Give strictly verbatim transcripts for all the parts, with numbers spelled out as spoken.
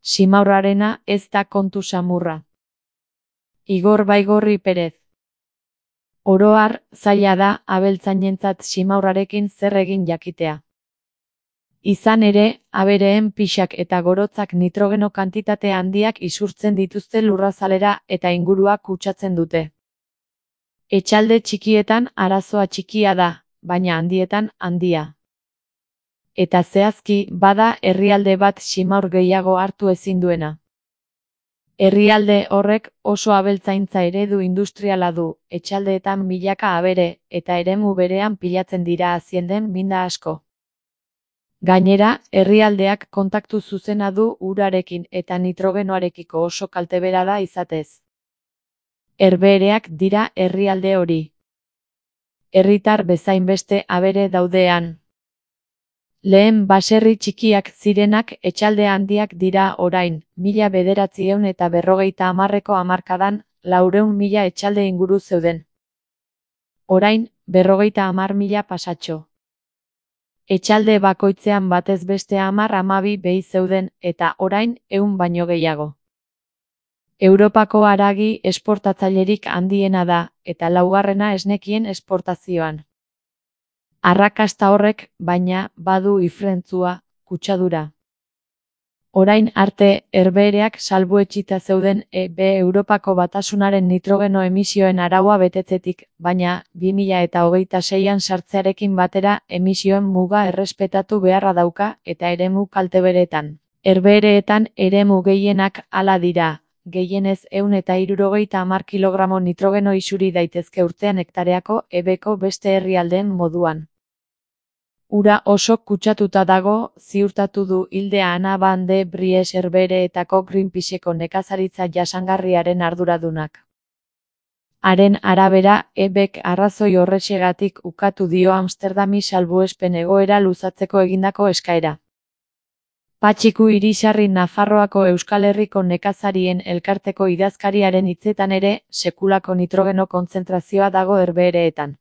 Simaurrarena ez da kontu samurra. Igor Baigorri Perez. Oro har, zaila da abeltzainentzat simaurrarekin zer egin jakitea. Izan ere, abereen pixak eta gorotzak nitrogeno kantitate handiak isurtzen dituzte lurrazalera eta ingurua kutsatzen dute. Etxalde txikietan arazoa txikia da, baina handietan handia. Eta zehazki, bada herrialde bat simaur gehiago hartu ezin duena. Herrialde horrek oso abeltzaintza eredu industriala du, etxaldeetan milaka abere, eta eremu berean pilatzen dira hazienden minda asko. Gainera, herrialdeak kontaktu zuzena du urarekin eta nitrogenoarekiko oso kaltebera da izatez. Herbehereak dira herrialde hori. Herritar bezain beste abere daudean. Lehen baserri txikiak zirenak etxalde handiak dira orain, mila bederatziehun eta berrogeita hamarreko hamarkadan, laurehun mila etxalde inguru zeuden. Orain, berrogeita hamar mila pasatxo. Etxalde bakoitzean batez beste hamar hamabi behi zeuden, eta orain, ehun baino gehiago. Europako haragi esportatzailerik handiena da, eta laugarrena esnekien esportazioan. Arrakasta horrek, baina, badu ifrentzua, kutsadura. Orain arte, herbehereak salbuetsita zeuden E B Europako Batasunaren nitrogeno emisioen araua betetzetik, baina, bi mila eta hogeita seian sartzearekin batera emisioen muga errespetatu beharra dauka eta eremu kalteberetan. Herbehereetan eremu gehienak hala dira, gehienez ehun eta hirurogeita hamar kilogramo nitrogeno isuri daitezke urtean hektareako E Bko beste herrialdeen moduan. Ura oso kutsatuta dago, ziurtatu du Hilde Ana van de Bries herbehereetako Greenpeaceko nekazaritza jasangarriaren arduradunak. Haren arabera, E Bk arrazoi horrexegatik ukatu dio Amsterdami salbuespen egoera luzatzeko egindako eskaera. Patxiku Irisarri Nafarroako Euskal Herriko nekazarien elkarteko idazkariaren hitzetan ere, sekulako nitrogeno kontzentrazioa dago herbehereetan.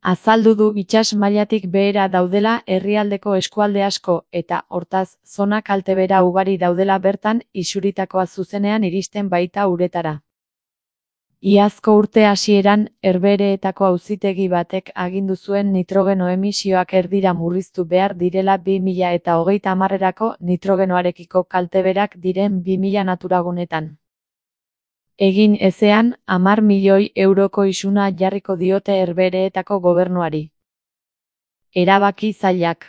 Azaldu du itsas mailatik behera daudela herrialdeko eskualde asko eta, hortaz, zona kaltebera ugari daudela bertan isuritakoa zuzenean iristen baita uretara. Iazko urte hasieran, herbehereetako auzitegi batek agindu zuen nitrogeno emisioak erdira murriztu behar direla bi mila eta hogeita hamarrerako nitrogenoarekiko kalteberak diren bi mila naturagunetan. Egin ezean, hamar milioi euroko isuna jarriko diote herbehereetako gobernuari. Erabaki zailak.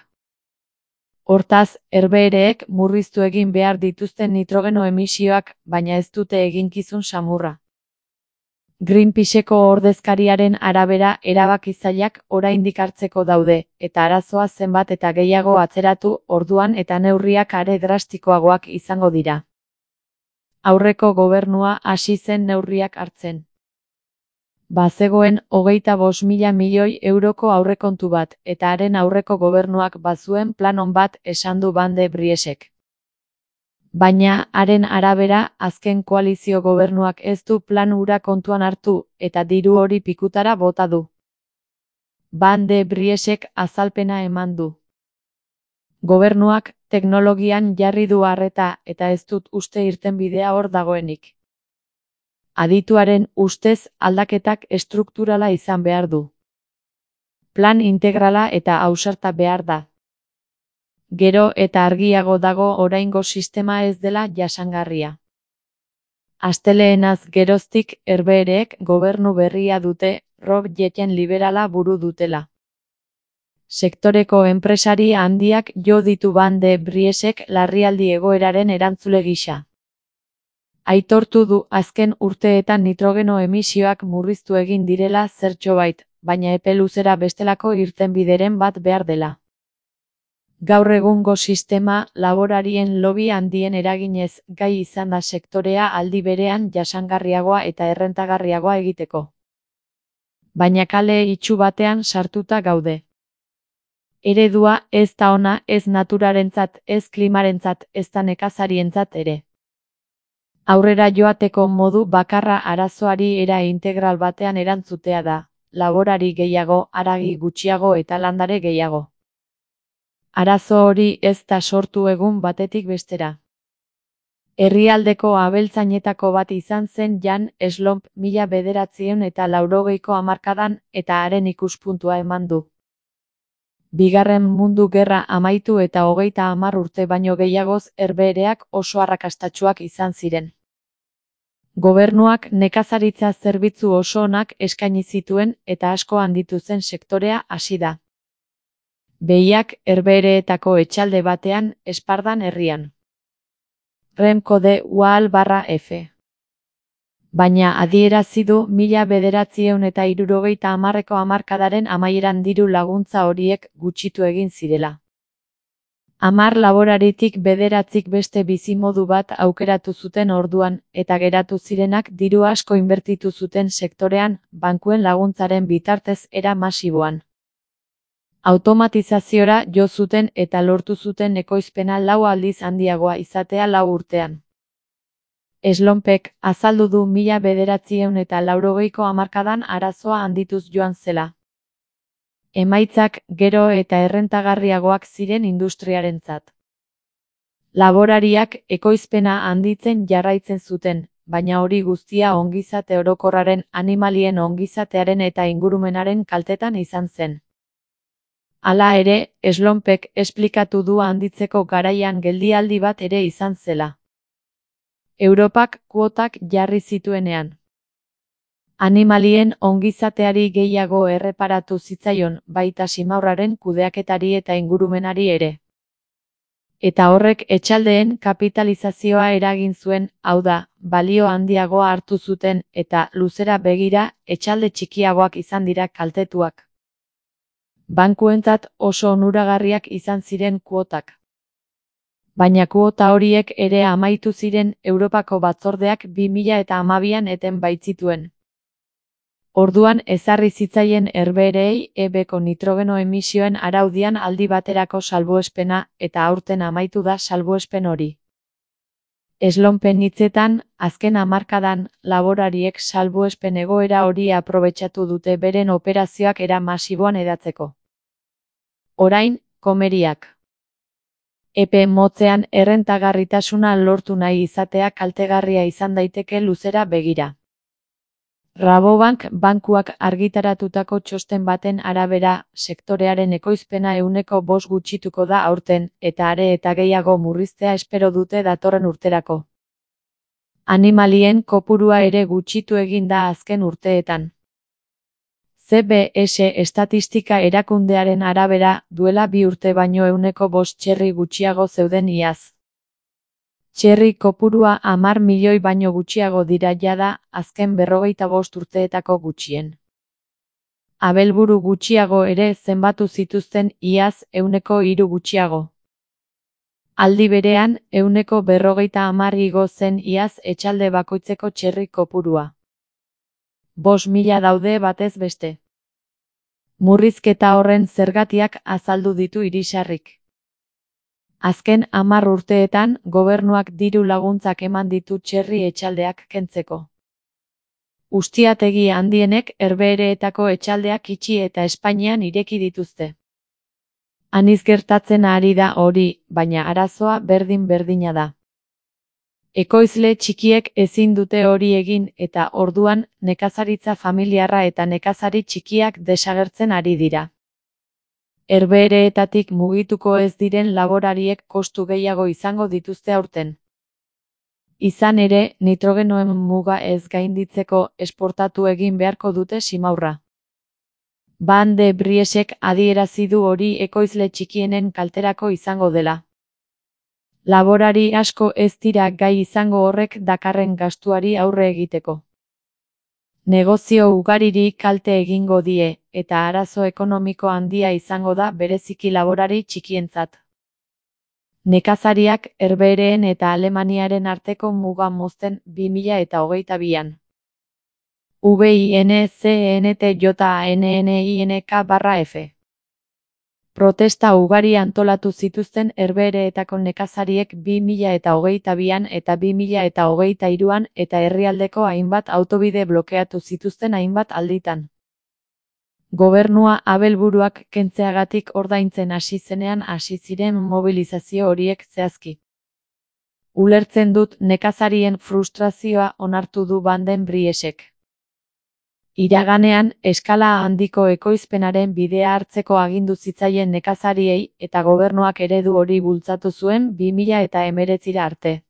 Hortaz, herbehereek murriztu egin behar dituzten nitrogeno emisioak, baina ez dute eginkizun samurra. Greenpeaceko ordezkariaren arabera erabaki zailak oraindik hartzeko daude, eta arazoa zenbat eta gehiago atzeratu orduan eta neurriak are drastikoagoak izango dira. Aurreko gobernua hasi zen neurriak hartzen. Bazegoen hogeita bost mila milioi euroko aurrekontu bat, eta haren aurreko gobernuak bazuen plan on bat esan du Van de Briesek. Baina, haren arabera, azken koalizio gobernuak ez du plan hura kontuan hartu, eta diru hori pikutara bota du. Van de Briesek azalpena eman du. Gobernuak teknologian jarri du arreta eta ez dut uste irtenbidea hor dagoenik. Adituaren ustez aldaketak estrukturala izan behar du. Plan integrala eta ausarta behar da. Gero eta argiago dago oraingo sistema ez dela jasangarria. Asteleenaz geroztik herbehereek gobernu berria dute, Rob Jetten liberala buru dutela. Sektoreko enpresari handiak jo ditu Van de Briesek larrialdi egoeraren erantzule gisa. Aitortu du azken urteetan nitrogeno emisioak murriztu egin direla zertxobait, baina epe luzera bestelako irtenbideren bat behar dela. Gaur egungo sistema laborarien lobby handien eraginez gai izan da sektorea aldi berean jasangarriagoa eta errentagarriagoa egiteko. Baina kale itsu batean sartuta gaude. Eredua ez da ona ez naturarentzat, ez klimarentzat, ez da nekazarientzat ere. Aurrera joateko modu bakarra arazoari era integral batean erantzutea da, laborari gehiago, haragi gutxiago eta landare gehiago. Arazo hori ez da sortu egun batetik bestera. Herrialdeko abeltzainetako bat izan zen Jan Slomp mila bederatziehun eta laurogeiko hamarkadan eta haren ikuspuntua eman du. Bigarren Mundu Gerra amaitu eta hogeita hamar urte baino gehiagoz Herbehereak oso arrakastatsuak izan ziren. Gobernuak nekazaritza zerbitzu oso onak eskaini zituen eta asko handitu zen sektorea hasi da. Behiak Herbehereetako etxalde batean, Espardan herrian. Remco de Waal barra F. Baina adierazi du mila bederatziehun eta hirurogeita hamarreko hamarkadaren amaieran diru laguntza horiek gutxitu egin zirela. Hamar laboraritik bederatzik beste bizimodu bat aukeratu zuten orduan, eta geratu zirenak diru asko inbertitu zuten sektorean, bankuen laguntzaren bitartez era masiboan. Automatizaziora jo zuten eta lortu zuten ekoizpena lau aldiz handiagoa izatea lau urtean. Slompek azaldu du mila bederatziehun eta laurogeiko hamarkadan arazoa handituz joan zela. Emaitzak gero eta errentagarriagoak ziren industriarentzat. Laborariak ekoizpena handitzen jarraitzen zuten, baina hori guztia ongizate orokorraren, animalien ongizatearen eta ingurumenaren kaltetan izan zen. Hala ere, Slompek esplikatu du handitzeko garaian geldialdi bat ere izan zela. Europak kuotak jarri zituenean. Animalien ongizateari gehiago erreparatu zitzaion, baita simaurraren kudeaketari eta ingurumenari ere. Eta horrek etxaldeen kapitalizazioa eragin zuen, hau da, balio handiagoa hartu zuten eta luzera begira etxalde txikiagoak izan dira kaltetuak. Bankuentzat oso onuragarriak izan ziren kuotak. Baina kuota horiek ere amaitu ziren Europako batzordeak bi mila hamabian eten baitzituen. Orduan ezarri zitzaien Herbehereei ebeko nitrogeno emisioen araudian aldi baterako salbuespena eta aurten amaitu da salbuespen hori. Slompen hitzetan, azken hamarkadan, laborariek salbuespen egoera hori aprobetxatu dute beren operazioak era masiboan hedatzeko. Orain, komeriak. Epe motzean errentagarritasuna lortu nahi izatea kaltegarria izan daiteke luzera begira. Rabobank bankuak argitaratutako txosten baten arabera, sektorearen ekoizpena ehuneko bost gutxituko da aurten, eta are eta gehiago murriztea espero dute datorren urterako. Animalien kopurua ere gutxitu egin da azken urteetan. C B S estatistika erakundearen arabera, duela bi urte baino ehuneko bost txerri gutxiago zeuden iaz. Txerri kopurua hamar milioi baino gutxiago dira jada, azken berrogeita bost urteetako gutxien. Abelburu gutxiago ere zenbatu zituzten iaz ehuneko hiru gutxiago. Aldi berean, ehuneko berrogeita hamar igo zen iaz etxalde bakoitzeko txerri kopurua. Bost mila daude batez beste. Murrizketa horren zergatiak azaldu ditu Irisarrik. Azken hamar urteetan, gobernuak diru laguntzak eman ditu txerri etxaldeak kentzeko. Ustiategi handienek Herbehereetako etxaldeak itxi eta Espainian ireki dituzte. Aniz gertatzen ari da hori, baina arazoa berdin-berdina da. Ekoizle txikiek ezin dute hori egin eta orduan nekazaritza familiarra eta nekazari txikiak desagertzen ari dira. Herbehereetatik mugituko ez diren laborariek kostu gehiago izango dituzte aurten. Izan ere, nitrogenoen muga ez gainditzeko esportatu egin beharko dute simaurra. Van de Briesek adierazi du hori ekoizle txikienen kalterako izango dela. Laborari asko ez dira gai izango horrek dakarren gastuari aurre egiteko. Negozio ugariri kalte egingo die, eta arazo ekonomiko handia izango da bereziki laborari txikientzat. Nekazariak Herbehereen eta Alemaniaren arteko muga mozten bi mila hogeita bian. V I N C N T J A N N I N K barra F. Protesta ugari antolatu zituzten Herbehereetako nekazariek bi mila hogeita bian eta bi mila hogeita hiruan eta herrialdeko hainbat autobide blokeatu zituzten hainbat alditan. Gobernua abelburuak kentzeagatik ordaintzen hasi zenean hasi ziren mobilizazio horiek zehazki. Ulertzen dut nekazarien frustrazioa onartu du Banden Briesek. Iraganean, eskala handiko ekoizpenaren bidea hartzeko agindu zitzaien nekazariei eta gobernuak eredu hori bultzatu zuen bi mila hemeretzira arte.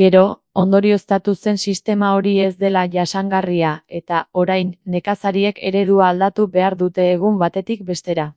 Gero, ondorioztatu zen sistema hori ez dela jasangarria eta, orain, nekazariek eredua aldatu behar dute egun batetik bestera.